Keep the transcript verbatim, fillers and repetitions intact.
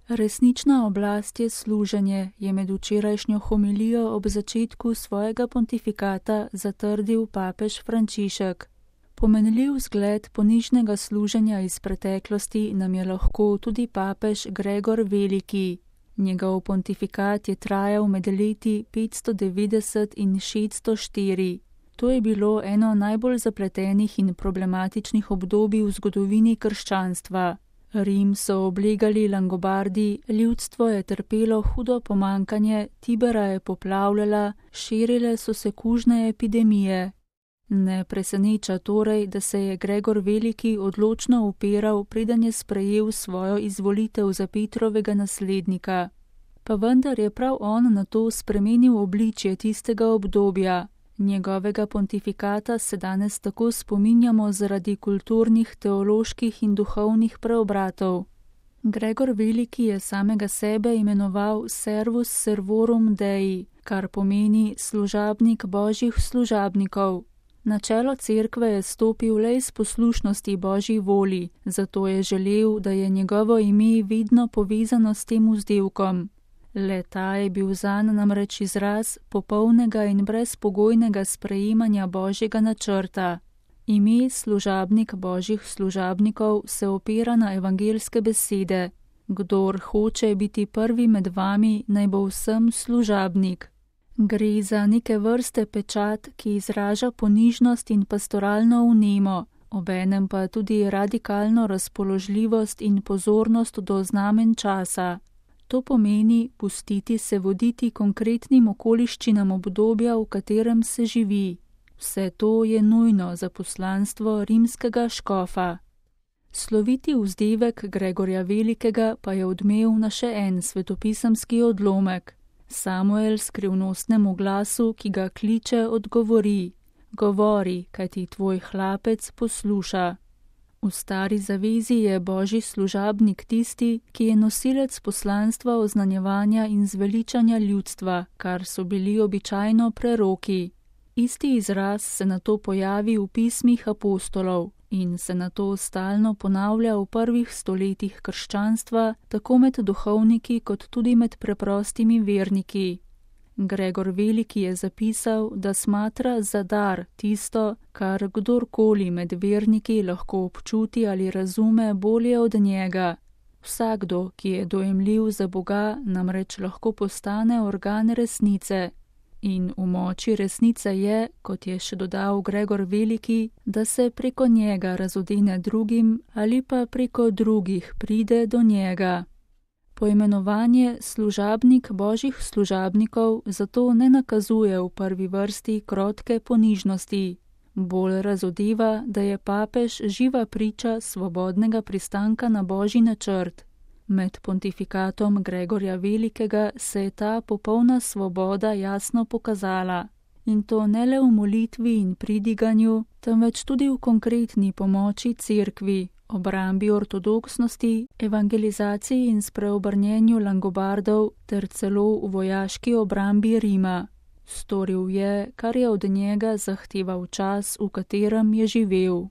Resnična oblast je služenje, je med včerajšnjo homilijo ob začetku svojega pontifikata zatrdil papež Frančišek. Pomenljiv zgled ponižnega služenja iz preteklosti nam je lahko tudi papež Gregor Veliki. Njegov pontifikat je trajal med leti petsto devetdeset in šeststo štiri. To je bilo eno najbolj zapletenih in problematičnih obdobij v zgodovini krščanstva. Rim so oblegali Langobardi, ljudstvo je trpelo hudo pomankanje, Tibera je poplavljala, širile so se kužne epidemije. Ne preseneča torej, da se je Gregor Veliki odločno upiral, preden je sprejel svojo izvolitev za Petrovega naslednika. Pa vendar je prav on na to spremenil obličje tistega obdobja. Njegovega pontifikata se danes tako spominjamo zaradi kulturnih, teoloških in duhovnih preobratov. Gregor Veliki je samega sebe imenoval servus servorum Dei, kar pomeni služabnik božjih služabnikov. Na čelo cerkve je stopil le iz poslušnosti božji voli, zato je želel, da je njegovo ime vedno povezano s tem vzdevkom. Le ta je bil zanj namreč izraz popolnega in brezpogojnega sprejemanja božjega načrta. Ime služabnik božjih služabnikov se opira na evangelske besede. Kdor hoče biti prvi med vami, naj bo vsem služabnik. Gre za neke vrste pečat, ki izraža ponižnost in pastoralno vnemo, obenem pa tudi radikalno razpoložljivost in pozornost do znamen časa. To pomeni pustiti se voditi konkretnim okoliščinam obdobja, v katerem se živi. Vse to je nujno za poslanstvo rimskega škofa. Sloviti vzdevek Gregorja Velikega pa je odmev na še en svetopisemski odlomek. Samuel skrivnostnemu glasu, ki ga kliče, odgovori: Govori, kajti tvoj hlapec posluša. V stari zavezi je božji služabnik tisti, ki je nosilec poslanstva oznanjevanja in zveličanja ljudstva, kar so bili običajno preroki. Isti izraz se nato pojavi v pismih apostolov in se nato stalno ponavlja v prvih stoletjih krščanstva, tako med duhovniki kot tudi med preprostimi verniki. Gregor Veliki je zapisal, da smatra za dar tisto, kar kdorkoli med verniki lahko občuti ali razume bolje od njega. Vsakdo, ki je dojemljiv za Boga, namreč lahko postane organ resnice. In v moči resnice je, kot je še dodal Gregor Veliki, da se preko njega razodene drugim ali pa preko drugih pride do njega. Poimenovanje služabnik božjih služabnikov zato ne nakazuje v prvi vrsti krotke ponižnosti. Bolj razodeva, da je papež živa priča svobodnega pristanka na božji načrt. Med pontifikatom Gregorja Velikega se je ta popolna svoboda jasno pokazala. In to ne le v molitvi in pridiganju, temveč tudi v konkretni pomoči cerkvi, obrambi ortodoksnosti, evangelizaciji in spreobrnjenju Langobardov ter celo v vojaški obrambi Rima. Storil je, kar je od njega zahteval čas, v katerem je živel.